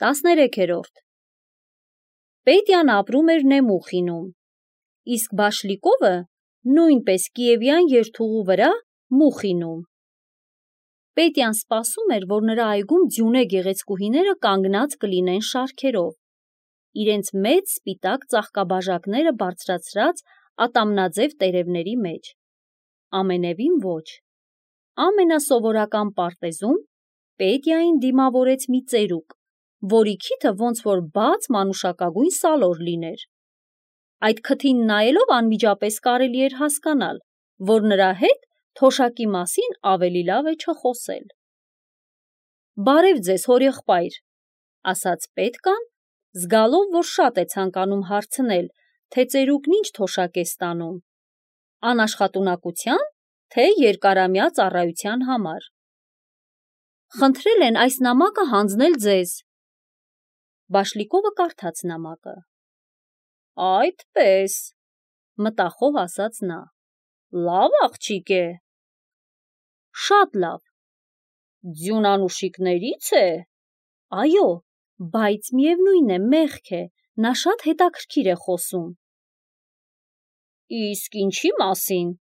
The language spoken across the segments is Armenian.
13-րդ Պետյան ապրում էր Նեմուխինում, իսկ Բաշլիկովը նույնպես Կիևյան երթուղու վրա Մուխինում։ Պետյան սպասում էր, որ նրա այգում ձյունե գեղեցկուհիները կանգնած կլինեն շարքերով, իրենց մեծ սպիտակ ծաղկաբաժակները բարձրացրած ատամնաձև տերևների մեջ։ Ամենևին ոչ։ Ամենասովորական պարտեզում Պետյային դիմավորեց մի ծերուկ, որի քիթը ոնց որ բաց մանուշակագույն սալոր լիներ։ Այդ քթին նայելով անմիջապես կարելի էր հասկանալ, որ նրա հետ թոշակի մասին ավելի լավ է չխոսել։ «Բարև ձեզ, հորեղբայր», ասաց Պետկան, զգալով, որ շատ է ցանկանում հարցնել, թե ծերուկն ինչ թոշակ է ստանում, անաշխատունակության, թե երկարամյա ծառայության համար։ «Խնդրել են այս նամակը հանձնել ձեզ»։ Բաշլիկովը կարդաց նամակը։ «Այդպես», մտախոհ ասաց նա, «լավ աղջիկ է»։ «Շատ լավ»։ «Ձյունանուշիկների՞ց է»։ «Այո, բայց միևնույն է, մեղք է, նա շատ հետաքրքիր է խոսում»։ «Իսկ ինչի մասին»։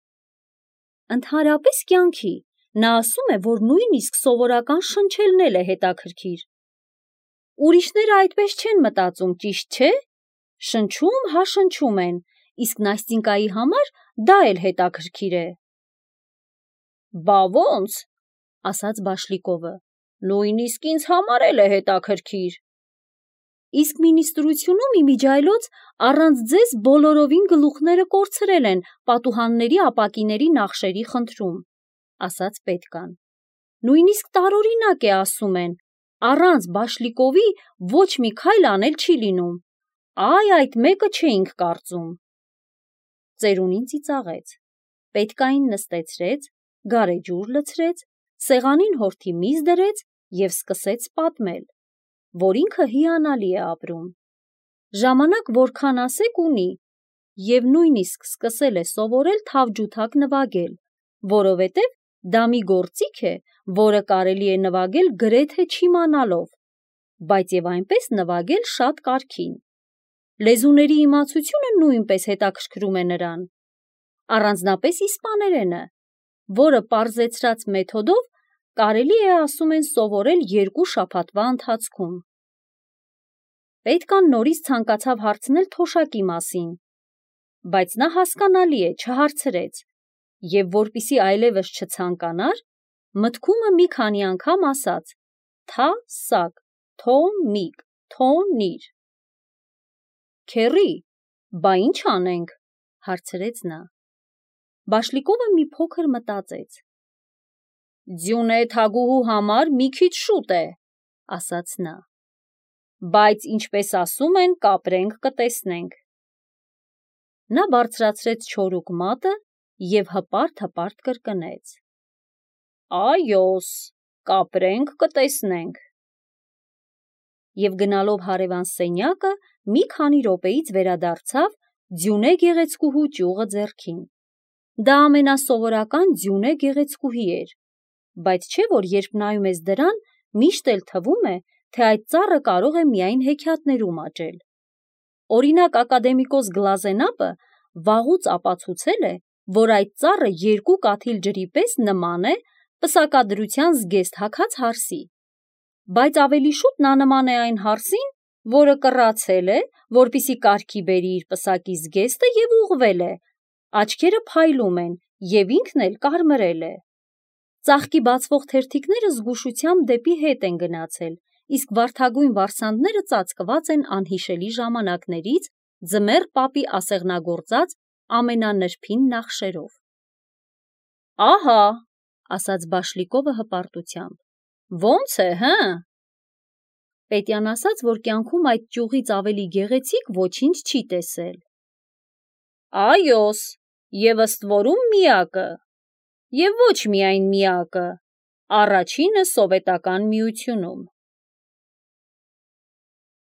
«Ընդհանրապես կյանքի, նա ասում է, որ նույնիսկ սովորական շնչելն էլ է հետաքրքիր»։ «Ուրիշները այդպես չեն մտածում, ճիշտ չէ՞։ Շնչում հա շնչում են, իսկ Նաստինկայի համար դա էլ հետաքրքիր է»։ «Բա ոնց», ասաց Բաշլիկովը, «նույնիսկ ինձ համար էլ է հետաքրքիր»։ «Իսկ մինիստրությունում իմիջիայլոց առանց ձեզ բոլորովին գլուխները կորցրել են պատուհանների ապակիների նախշերի խնդրում», ասաց Պետկան։ «Նույնիսկ տարօրինակ է, ասում են, առանց Բաշլիկովի ոչ մի քայլ անել չի լինում։ Այ այդ մեկը չէինք կարծում»։ Ծերունին ծիծաղեց, Պետկային նստեցրեց, գարեջուր լցրեց, սեղանին հորթի միզ դրեց և սկսեց պատմել, որ ինքը հիանալի է ապրում։ Ժամանակ որքան ասեք ունի, և նույնիսկ սկսել է սովորել թավջութակ նվագել, որովհետև դա մի գործիք է, որը կարելի է նվագել գրեթե չիմանալով, բայց և այնպես նվագել շատ կարգին։ Լեզուների իմացությունը նույնպես հետաքրքրում է նրան, առանձնապես իսպաներենը, որը պարզեցրած մեթոդով կարելի է, ասում են, սովորել 2 շաբաթվա ընթացքում։ Պետկան նորից ցանկացավ հարցնել թոշակի մասին, բայց նա հասկանալի է, չհարցրեց, և որպեսզի այլևս չցանկանար, մտքումը մի քանի անգամ ասաց. «թա-սակ, թո-միկ, թո-նիր»։ «Քեռի, բա ինչ անենք», հարցրեց նա։ Բաշլիկովը մի փոքր մտածեց։ «Ձյունե թագուհու համար մի քիչ շուտ է», ասաց նա, «բայց ինչպես ասում են, կապրենք կտեսնենք»։ Նա բարձրացրեց չորուկ մատը և հպարտ կրկնեց. «Այոս, կապրենք կտեսնենք»։ Եվ գնալով հարևան սենյակը մի քանի րոպեից վերադարձավ ձյունե գեղեցկուհու ճյուղը ձեռքին։ Դա ամենասովորական ձյունե գեղեցկուհի էր, բայց չէ՞ որ երբ նայում ես դրան, միշտ էլ թվում է, թե այդ ծառը կարող է միայն հեքիաթներում աճել։ Օրինակ ակադեմիկոս Գլազենապը վաղուց ապացուցել է, որ այդ ծառը 2 կաթիլ ջրի պես նման է պսակադրության զգեստ հագած հարսի, բայց ավելի շուտ նա նման է այն հարսին, որը կռացել է, որպեսզի կարգի բերի իր պսակի զգեստը և ուղղվել է, աչքերը փայլում են և ինքն էլ կարմրել է։ Ծաղկի բացվող թերթիկները զգուշությամբ դեպի հետ են գնացել, իսկ վարդագույն վարսանդները ծածկված են անհիշելի ժամանակներից Ձմեռ պապի ասեղնագործած ամենանրբին նախշերով։ «Ահա», ասաց Բաշլիկովը հպարտությամբ, «ոնց է, հը»։ Պետյան ասաց, որ կյանքում այդ ճյուղից ավելի գեղեցիկ ոչինչ չի տեսել։ «Այոս, և ըստ որում միակը, և ոչ միայն միակը, առաջինը Սովետական Միությունում»։